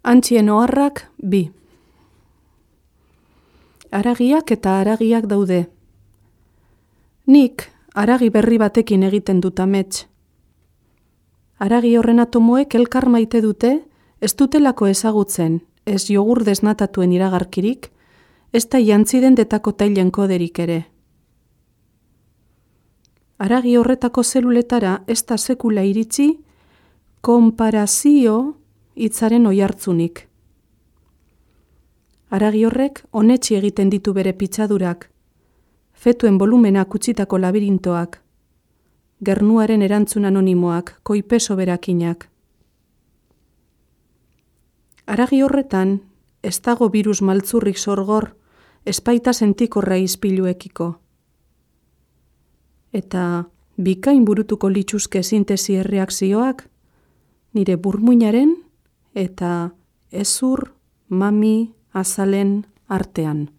Antxien oharrak 2. Haragiak eta haragiak daude. Nik haragi berri batekin egiten dut amets. Haragi horren atomoek elkar maite dute, ez dutelako ezagutzen, ez jogur desnatatuen iragarkirik, ez da jantziden detako tailen koderik ere. Haragi horretako zeluletara ez da sekula iritsi, konparazio hitzaren oihartzunik. Haragi horrek onetsi egiten ditu bere pitzadurak, fetuen volumenak utzitako labirintoak, gernuaren erantzun anonimoak, koipeso berakinak. Haragi horretan, ez dago virus maltzurrik sorgor, espaita sentikorra izpiluekiko. Eta bikain burutuko lituzke sintesi erreakzioak, nire burmuinaren eta ezur, mami, azalen artean.